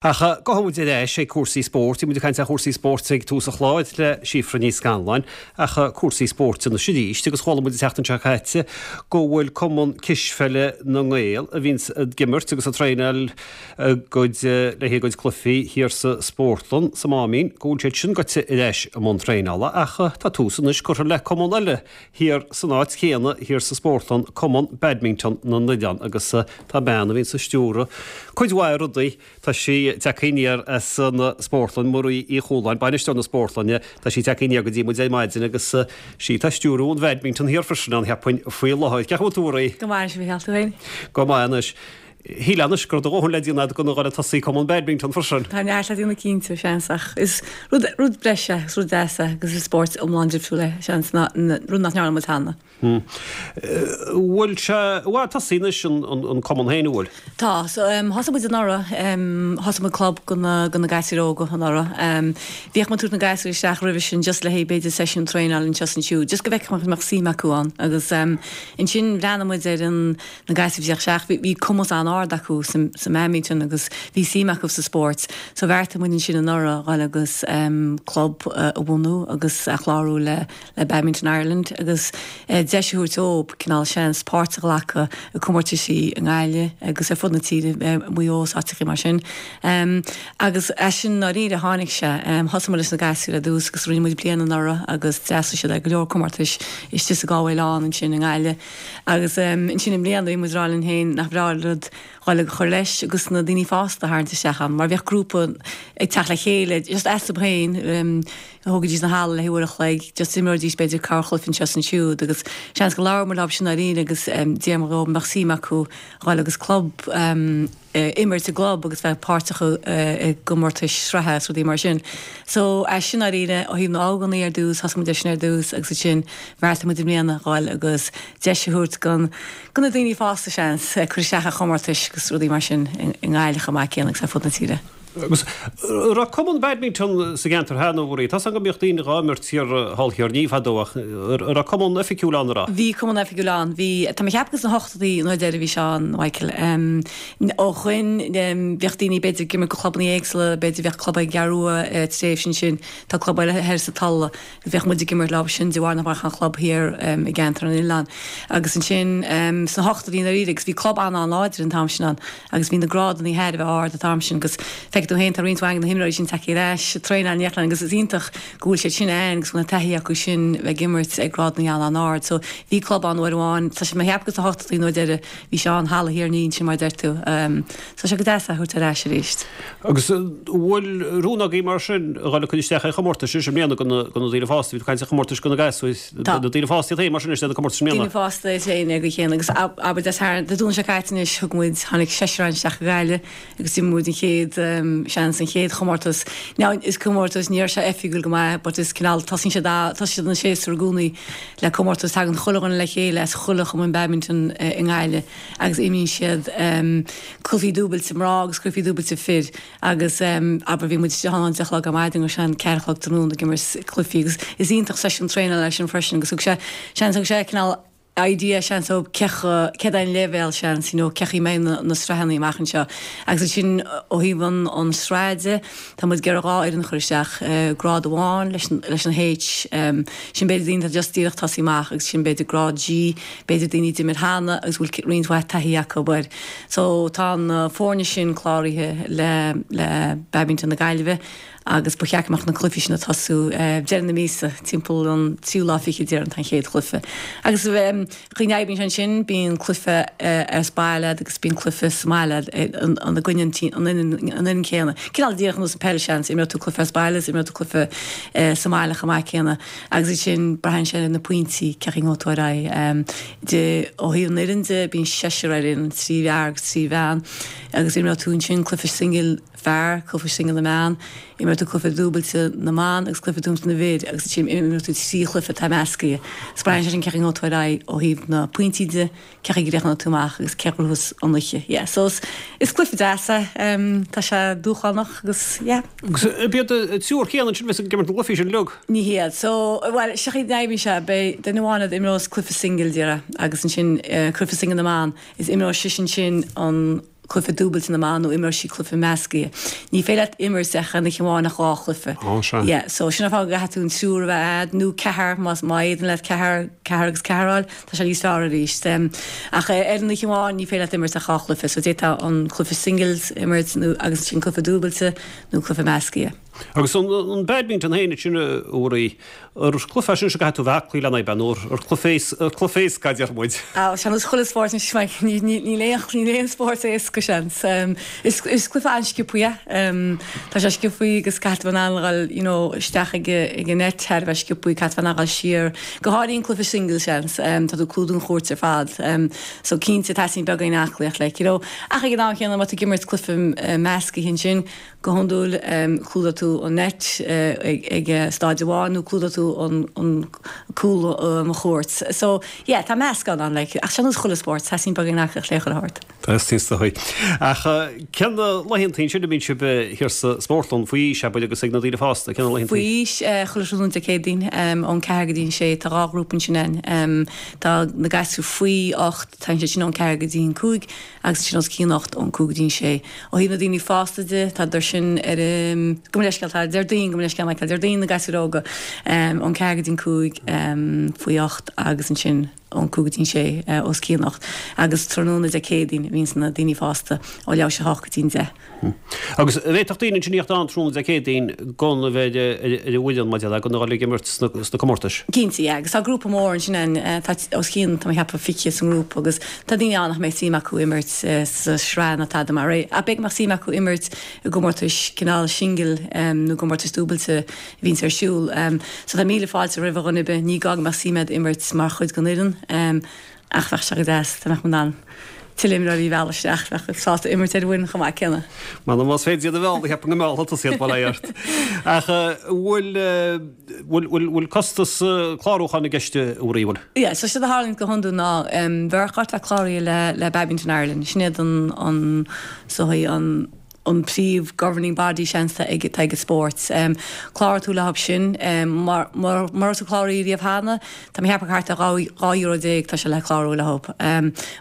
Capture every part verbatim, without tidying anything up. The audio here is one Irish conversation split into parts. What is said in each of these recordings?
Ach gabhfaidh muid ar ais ag cúrsaí spóirt, bhí muid ag caint ar chúrsaí spóirt ag tús an chláir le Síofra Ní Scanláin, ach cúrsaí spóirt anois arís agus chuala muid an tseachtain seo caite go bhfuil Cumann Cispheile na nGael a bhíonns ag imirt agus ag traenáil a gcuid le haghaidh a gcuid cluichí thiar sa spórtlann sa Máimín, go bhfuil siad sin gaibhte ar ais i mbun traenála ach tá tús anois curtha le cumann eile thiar san áit chéanna thiar sa spórtlann, Cumann Badminton na nOileán agus tá bean a bhíonns ag stiúradh cuid mhaith rudaí. Tá sí tagtha aniar as an spórtlann, Marie Uí Chualáin, bainisteoir na spórtlainne, tá sí tagtha aniar go dtí muid ar maidin agus sí atá ag stiúradh an bhadminton thiar freisin ann, cheapfainn, faoi láthair. Cén chaoi a bhfuil tú, a Mharie? Go maith, a Mhichíl, tú féin? Go maith anois. Shílfeá anois go raibh do dhóthain le déanamh agat gan a dhul ag tosaí cumann badminton freisin. Tá neart le déanamh cinnte, seans, ach is rud, rud breise, is rud deas é agus is spórt iomlán difriúil é, seans, ná, rud nach ndearna muid cheana. Bhfuil sé i bhfad tosaithe anois an cumann féin, an bhfuil? Tá. So thosaigh muid anuraidh, thosaigh muid club do na do na gasúir óga anuraidh. Bhíodh muid ag tabhairt na gasúir isteach roimhe sin just le haghaidh b'fhéidir seisiún traenáil anseo is ansiúd, just go bhfeicfeadh muid an mbeadh suim acu ann. Agus ansin bhreathnaigh muid ar an na gasúir a bhí ag teacht isteach, bhí bhí cumas an-ard acu sa sa mbadminton agus bhí suim acu sa spórt. So bheartaigh muid ansin anuraidh dhul agus club a bhunú agus a chlárú le le Badminton Ireland agus deis a thabhairt dóibh cineál seans páirt a ghlacadh i comórtaisí i nGaillimh agus ar fud na tíre, Maigh Eo is áiteachaí mar sin. Agus as sin ndáiríre a tháinig sé. Thosaigh muid leis na gasúir ar dtús agus rinne muid bliain anuraidh agus d'fhreastail siad ar go leor comórtais istigh sa Galway Lawn ansin i nGaillimh. Agus ansin i mbliana bhí muid ag rá linn féin nach breá an rud dhul ag cur leis agus na daoine fásta a tharraingt isteach ann mar bheadh grúpa ag teacht le chéile just astu féin, thógaidís an halla le haghaidh uair a chloig, just imreoidís b'fhéidir corrchluiche anseo is ansiúd agus seans go labhair muid leo sin dáiríre agus d'iarr muid dhóibh an mbeadh suim acu dhul agus club imirt i gclub agus bheith páirteach i gcomórtais sraithe is rudaí mar sin. So as sin dáiríre ó thaobh na ógánaigh ar dtús, thosaigh muid ar sin ar dtús agus ansin bheartaigh muid i mbliana dhul agus deis a thabhairt don do na daoine fásta seans cur isteach ar chomórtais agus rudaí mar sin i nGaillimh chomh maith céanna agus ar fud na tíre. Agus an raibh cumann badminton sa gceantar cheana, a Mharie? Tá 's agam go mbíodh daoine dhá imirt thiar thall Thiar Ní fadó ach an raibh cumann oifigiúil ann, an raibh? Bhí cumann oifigiúil ann. Bhí, tá mé ag ceapadh gur sna hochtóidí an uair deiridh a bhí sé ann, Michael. Ó shoin bhíodh daoine b'fhéidir ag imirt do chlubanna éagsúla, b'fhéidir bhíodh club ag an gCeathrú Rua tréimhse ansin, tá club eile thoir sa Tulaigh. Bheadh muid ag imirt leo sin de bharr nach mbeadh aon chlub thiar i gceantar an oileáin. Agus ansin sna hochtóidí ndáiríre agus bhí club an-an-láidir an t-am sin ann agus bhí na grádanna thar a bheith ard an t-am sin agus feicfidh tú féin tá roinnt mhaith de na himreoirí sin tagtha ar ais ag traenáil in éineacht linn agus is iontach go bhfuil siad sin ann agus go bhfuil an taithí acu sin bheith ag imirt ag grádanna an-an-ard. So bhí club ann uair amháin, tá sé mé ag ceapadh gur sna hochtóidí an uair deiridh bhí sé ann halla Thír an Fhia ansin mar a deir tú. So tá sé go deas é a thabhairt ar ais arís. Agus an bhfuil rún agaibh mar sin a dhul ag cur isteach ar chomórtais i mbliana do na daoine fásta? Bhí tú ag caint ar chomórtais do na gasúir, Tá. na daoine fásta iad féin mar sin anois le na comórtais i mbliana? Daoine fásta iad féin ar an gcaoi chéanna agus abair Dé Sathairn, Dé Domhnaigh seo caite anois thug muid, tháinig seisear againn isteach go Gaillimh agus d'imir muid an chéad seans, an chéad chomórtas. Now is comórtas, ní raibh sé oifigiúil go maith but is cineál, tosaíonn siad, tosaíonn siad an séasúr i gcónaí le comórtas, tagann chuile dhuine le chéile as chuile chumann badminton i nGaillimh agus imríonn siad cluichí dúbailte mná agus cluichí dúbailte fir agus abair bhí muid istigh ann ón deich a chlog ar maidin go sean ceathair a chlog tráthnóna ag imirt cluichí agus is iontach seisiún traenála é sin freisin agus thug sé seans thug sé cineál idea seans ó cé céard é an leibhéal seans you know cén chaoi a mbeidh na na sraitheanna amach anseo agus ansin ó thaobh an an sraith de tá muid ag iarraidh dhá fhoireann a chur isteach grád amháin leis an leis an H sin b'fhéidir daoine atá just díreach tosaí amach agus sin b'fhéidir grád G b'fhéidir daoine a d'imir cheana agus bhfuil roinnt mhaith taithí acu air. So tá na foirne sin cláraithe le le Badminton na Gaillimhe agus ba cheart go mbeadh na cluichí sin ag tosú deireadh na míosa, timpeall an tríú lá fichead déarfainn tá an chéad chluiche. Agus an chaoi a n-oibríonn sé ansin, bíonn cluiche as baile agat agus bíonn cluiche sa mbaile agat i gcoinne an an fhoireann céanna. Cineál díreach ar nós an peil seans, imreoidh tú cluiche as baile is imreoidh tú cluiche sa mbaile chomh maith céanna. Agus ansin braitheann sé ar na pointí cén chaoi a ngabhfaidh tú ar aghaidh. De ó thaobh an fhoireann de bíonn seisear ar fhoireann, trí fhear agus trí bhean agus imreoidh tú ansin cluiche singil fear, cluiche singil na mbean, imreoidh tú cluiche dúbailte na mban agus cluiche dúbailte na bhfir agus ansin imreoidh tú trí chluiche atá meascaithe. Is braitheann sé sin cén chaoi a ngabhfaidh tú ar aghaidh ó thaobh na pointí de. Cén chaoi a gcríochnóidh tú amach agus cé a ghnóthós an oíche. Yeah, so is, is cluiche deas é. Tá sé dúshlánach agus yeah. Agus ab iad an triúr céanna ansin a bheas ag imirt na gcluichí sin uilig? Ní hiad. So, bhuel, seo chaoi a n-oibríonn sé, beidh duine amháin a imreos cluiche singil, déarfá, agus ansin cluiche singil na mban, is imreoidh sise ansin an cluiche dúbailte na mban nó imreoidh siad cluiche measctha. Ní féidir leat imirt ach an oíche amháin ach dhá chluiche. Ó, sea. Yeah, so sin an fáth go gcaithfidh tú an triúr a bheith a'd, nó ceathair más má fhéadann leat ceathair, ceathair agus ceathair a fháil, tá sé níos fearr arís. Ach ar an oíche amháin ní féidir leat imirt ach dhá chluiche, so d'fhéadfá an cluiche singles a imirt nó agus ansin cluiche dúbailte nó cluiche measctha. Agus an an badminton féin sin a Mhuirí, ar cluiche é sin go gcaithfidh tú bheith aclaí lena aghaidh, nó ar cluiche ar cluiche éasca a deir muid. Á, sea, nós chuile spórt anois, Mike, ní ní níl aon níl aon spórt éasca, seans. Is is cluiche an-sciobtha é. Tá sé sciobtha agus caithfidh tú in ann a dhul, you know, isteach ag ag an net thar a bheith sciobtha, caithfidh tú in ann a dhul siar, go háirithe an cluiche singles, seans. Tá tú ag clúdú an chúirt ar fad. So cinnte teastaíonn beagáinín aclaíocht, like, you know. Ach ag an am chéanna má tá tú ag imirt cluiche measctha ansin, Go hiondúil, clúdóidh tú an net ag staid amháin nó clúdóidh tú an cúl an chúirt. So, yeah, tá meascán ann, like, ach seo nós chuile spórt, teastaíonn beagáinín aclaíocht le chuile shórt. Teastaíonn is dóigh. Ach cén laethantaí ansin a mbíonn sibh thiar sa spórtlann, faoi aois, abair, agus ag na daoine fásta, cén laethantaí? Faoi aois, chuile thráthnóna Dé Céadaoin, ón ceathair go dtí an sé, tá dhá ghrúpa ansin ann. Tá na gasúir faoi ocht, tá siad sin ón ceathair go dtí an cúig, agus ansin os cionn ocht ón cúig go dtí an sé. Ó thaobh na daoine fásta de, tá sin ar an, gabh mo leithscéal, tá Déardaoin, gabh mo leithscéal, Michael, Déardaoin na gasúir óga, ón ceathair go dtí an cúig, faoi ocht agus ansin ón cúig go dtí an sé, os cionn ocht. Agus tráthnóna Dé Céadaoin a bhíonns na daoine fásta ó leathuair tar éis a hocht go dtí an deich. Agus an bhféadfadh daoine ansin a thíocht ann tráthnóna Dé Céadaoin gan a bheith ar an bhfoireann maidir le gan a dhul ag imirt sna comórtais? Cinnte, yeah, agus tá grúpa mór ansin ann, tá os cionn, tá mé ag ceapadh, fiche sa ngrúpa agus tá daoine ann nach mbeadh suim acu imirt sa sraith ná tada mar é, ach b'fhéidir go mbeadh suim acu imirt i gcomórtais cineál singil nó gcomórtais dúbailte a bhíonns ar siúl. So tá míle fáilte roimh dhuine ar bith, ní gá go mbeadh suim agat imirt mar chuid den fhoireann ach bheadh sé go deas dá mbeadh muid in ann tuilleadh imreoirí a mhealladh isteach, bheadh sásta imirt ar an bhfoireann chomh maith céanna. M'anam más féidir iad a mhealladh, cheapfainn go meallfadh tusa iad, bail ó Dhia ort. Ach bhfuil, bhfuil, bhfuil, bhfuil costas clárúcháin i gceist, a Mhuirí, bhfuil? Yeah, so séard a tharlaíonn go hiondúil ná bheadh ort bheith cláraithe le, le Badminton Ireland, sin iad an, an, so an, an príomh governing body seans atá ag atá ag an spórt. Cláróidh tú leo sin mura raibh tú cláraithe riamh cheana, tá mé ag ceapadh thart ar dhá dhá euro déag tá sé le clárú leo.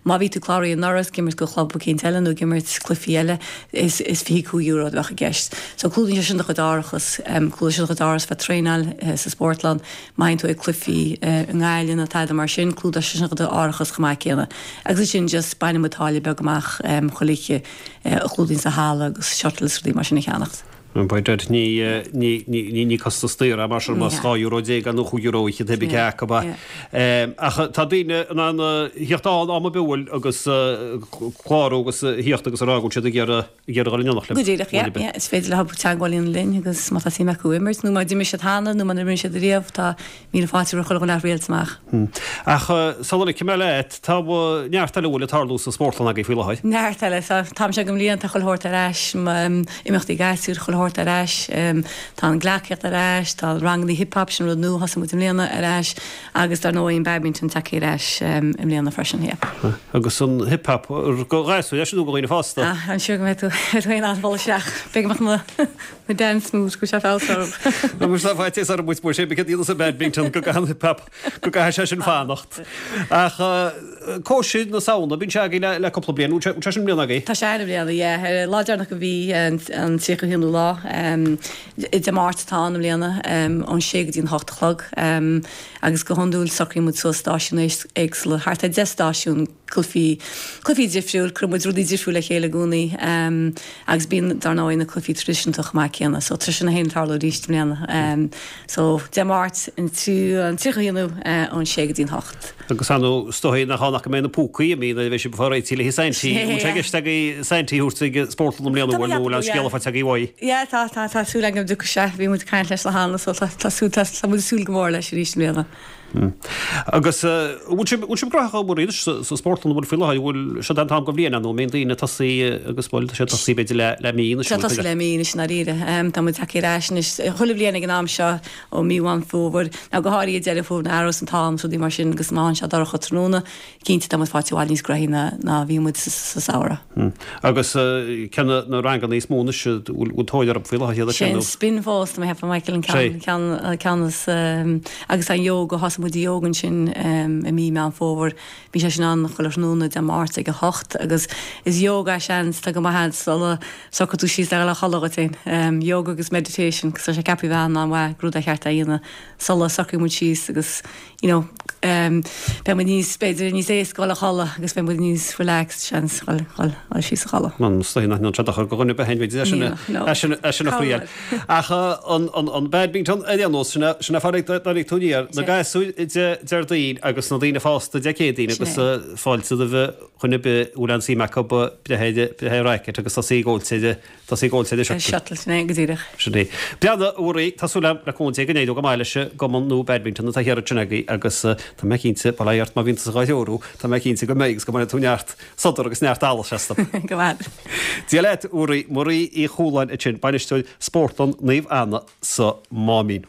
Má bhí tú cláraithe anuraidh ag imirt do chlub eicínt eile nó ag imirt cluichí eile is is fiche cúig euro a bheadh i gceist. So clúdaíonn sé sin do chuid árachas, clúdaíonn sé do chuid árachas bheith traenáil sa spórtlann, má théann tú ag cluichí i nGaillimh nó tada mar sin, clúdóidh sé sin do chuid árachas chomh maith céanna. Agus ansin just baineann muid táille beag amach chuile oíche a chlúdaíonn an halla agus shuttles rudaí mar sin a cheannacht. By dad, ní, ní, ní, ní costas daor é mar sin más dhá euro déag nó chúig euro oíche pé cé acu é. Ach tá daoine in ann a thíocht ann am ar bith bhfuil agus clárú agus a thíocht agus a rá go bhfuil siad ag iarraidh ag iarraidh dhul in éineacht Go díreach, yeah, yeah. Is féidir leo teagmháil a dhéanamh linn agus má tá suim acu imirt nó má d'imir siad cheana nó má imríonn siad ariamh tá míle fáilte roimh chuile dhuine a rialt amach. Ach sula ligfidh mé leat, tá neart eile a bhfuil ag tarlú sa spórtlann agaibh faoi láthair. Neart eile. Tá an t-am seo den bhliain, tá chuile shórt ar ais, imeachtaí gasúir, chuile shórt ar ais. Tá an gleacaíocht ar ais, tá ranganna hip hop, sin rud nua a thosaigh muid i mbliana, ar ais agus dar ndóigh an badminton tagtha ar ais i mbliana freisin, yeah. Agus an hip hop, do ghasúir é sin nó do dhaoine fásta? Ah, I'm sure go mbeidh tú féin in ann dul isteach. B'fhéidir go mbeadh na na dance moves go bhfuil sé feabhas orthu. Tá muid faitíos orm muid sé céard iad sa badminton go gcaithfidh an hip hop go gcaithfidh sé sin fanacht. Ach cóisir na Samhna, bíonn sé agaibh le le cúpla bliain, bhfuil sé sin i mbliana agaibh? Tá sé i mbliana, yeah. Ar an lá deireanach de mhí an tríocha haonú lá, Dé Máirt atá ann i mbliana, ón sé go dtí an hocht a chlog. Agus go hiondúil socraíonn muid suas stáisiúin éagsúla, thart ar deich stáisiún, cluichí, cluichí difriúil, cuireann muid rudaí difriúil le chéile i gcónaí agus bíonn dar ndóigh na cluichí traidisiúnta chomh maith céanna. So tá sin ag tarlú arís i mbliana. So Dé Máirt an tríocha haonú ón sé go dtí an hocht. Agus ar ndóigh is dóigh nach ann ach go mbeidh na púcaí imithe nuair a bheidh sibh ag fáil réitithe le haghaidh Saintí. An bhfuil sé i gceist agaibh Saintí a thabhairt ag spórtlann i mbliana bhfuil nó bhfuil an scéala faighte agaibh uaidh? Yeah tá tá tá súil agam go dtiocfaidh sé. Bhí muid ag caint leis le hana so tá tá súil tá tá muid ag súil go mór leis arís i mbliana. Agus bhfuil sibh bhfuil sibh gnóthach a Mhuirí anois sa spórtlann an bhfuil faoi láthair bhfuil seo an t-am den bhliain nó an mbíonn daoine ag tosaí agus bhuel tá sé ag tosaí b'fhéidir le le mí anois Tá tosaí le mí anois i ndáiríre. Tá muid tagtha ar ais anois chuile bhliain ag an am seo ó mí Mheán Fómhair nó go háirithe Deireadh Fómhair nuair a athraíos an t-am is rudaí mar sin agus má théann sé dorcha tráthnóna cinnte tá muid faighte i bhfad níos gnoithí ná ná bhí muid sa sa samhradh. Agus cé na ranganna is mó anois a bhfuil bhfuil tóir orthu faoi láthair iad Sé an spin fós tá mé ag ceapadh Michael an ceann ceann ceann is agus an yoga. Thosaigh muid yoga ansin i mí Meán Fómhair. Bíonn sé sin ann chuile thráthnóna Dé Máirt ag a hocht agus is yoga seans tá go maith sula socraíonn tú síos le dhul a chodladh dhuit féin. Yoga agus meditation agus tá sé ceaptha a bheith an-mhaith rud a cheart a dhéanamh sula socraíonn muid síos agus you know beidh muid níos b'fhéidir níos éasca dhul a chodladh agus beidh muid níos relaxed seans dhul dhul dhul síos a chodladh. Man stoin nach se go gonne behenn sin sin a chríal. Ach an an badminton ar aon nós sin sin a fáid tú na gasúir Déardaoin agus na daoine fásta Dé Céadaoin agus fáilte roimh dhuine ar bith a bhfuil aon suim acu breith ar racket agus tosaí ag góilte tosaí ag góilte shuttle. Shuttle sin é go díreach. Sin é. Breathnaigh a Mhuirí, tá súil agam le cúnamh Dé go n-éireoidh go maith leis an gcumann nua badminton atá thiar ansin agaibh agus tá mé cinnte, bail ó Dhia ort má bhíonn tusa dhá threorú, tá mé cinnte go mbeidh agus go mbainfidh tú neart sodar agus neart allais astu. Go maith. Dia leat, a Mhuirí, Muirí Uí Chualáin ansin, bainisteoir Spórtlann Naomh Anna sa Máimín.